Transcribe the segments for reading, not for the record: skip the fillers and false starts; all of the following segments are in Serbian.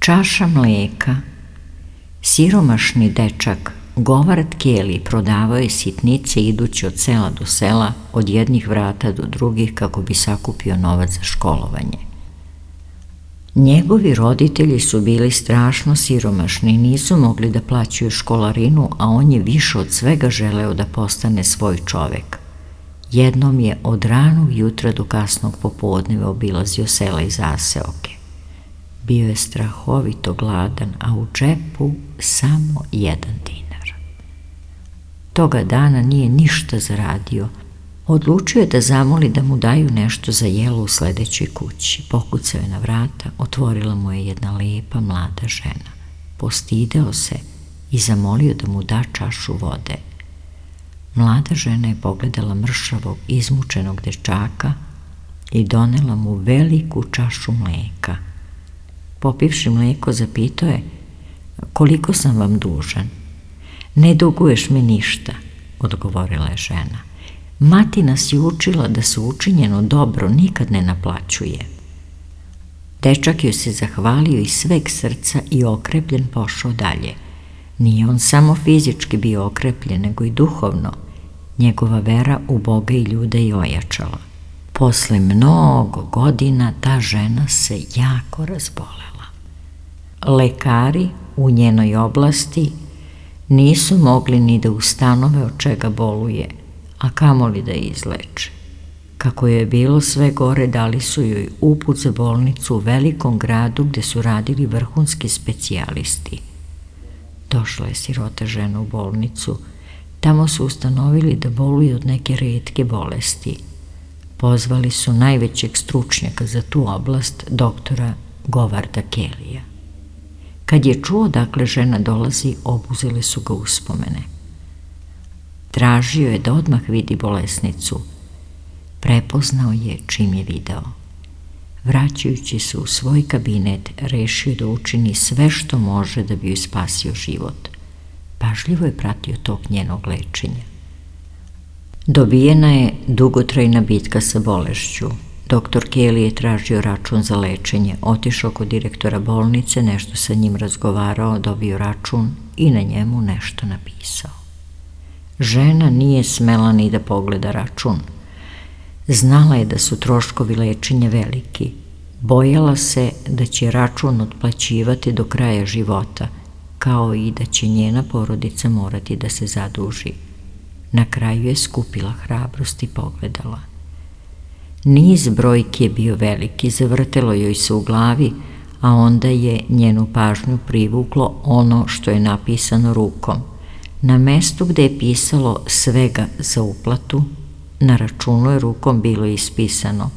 Čaša mlijeka. Siromašni dečak Govard Kelly prodavao je sitnice idući od sela do sela, od jednih vrata do drugih kako bi sakupio novac za školovanje. Njegovi roditelji su bili strašno siromašni i nisu mogli da plaćaju školarinu, a on je više od svega želeo da postane svoj čovek. Jednom je od ranog jutra do kasnog popodneva obilazio sela i zaseoke. Bio je strahovito gladan, a u džepu samo 1 dinar. Toga dana nije ništa zaradio. Odlučio je da zamoli da mu daju nešto za jelo u sledećoj kući. Pokucao je na vrata, otvorila mu je jedna lepa mlada žena. Postideo se i zamolio da mu da čašu vode. Mlada žena je pogledala mršavog, izmučenog dečaka i donela mu veliku čašu mleka. Popivši mleko, zapitao je: koliko sam vam dužan? Ne duguješ mi ništa, odgovorila je žena. Mati nas je učila da se učinjeno dobro nikad ne naplaćuje. Dečak joj se zahvalio iz sveg srca i okrepljen pošao dalje. Nije on samo fizički bio okrepljen, nego i duhovno. Njegova vera u Boga i ljude je ojačala. Posle mnogo godina ta žena se jako razbolela. Lekari u njenoj oblasti nisu mogli ni da ustanove od čega boluje, a kamoli da je izleče. Kako je bilo sve gore, dali su joj uput za bolnicu u velikom gradu gde su radili vrhunski specijalisti. Došla je sirota žena u bolnicu. Tamo su ustanovili da boluje od neke retke bolesti. Pozvali su najvećeg stručnjaka za tu oblast, doktora Govarda Kellyja. Kad je čuo dakle žena dolazi, obuzele su ga uspomene. Tražio je da odmah vidi bolesnicu. Prepoznao je čim je video. Vraćajući se u svoj kabinet, rešio da učini sve što može da bi joj spasio život. Pažljivo je pratio tok njenog lečenja. Dobijena je dugotrajna bitka sa bolešću. Doktor Kelly je tražio račun za lečenje, otišao kod direktora bolnice, nešto sa njim razgovarao, dobio račun i na njemu nešto napisao. Žena nije smela ni da pogleda račun. Znala je da su troškovi lečenja veliki. Bojala se da će račun otplaćivati do kraja života, kao i da će njena porodica morati da se zaduži. Na kraju je skupila hrabrost i pogledala. Niz brojki je bio veliki, zavrtelo joj se u glavi, a onda je njenu pažnju privuklo ono što je napisano rukom. Na mestu gde je pisalo svega za uplatu, na računu je rukom bilo ispisano: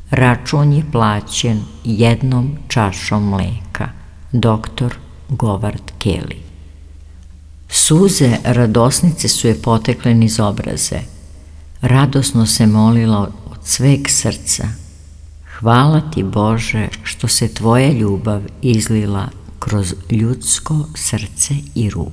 račun je plaćen 1 čašom mleka. Doktor Govard Kelly. Suze radosnice su je potekle niz obraze. Radosno se molila od sveg srca: hvala ti Bože što se tvoja ljubav izlila kroz ljudsko srce i ruku.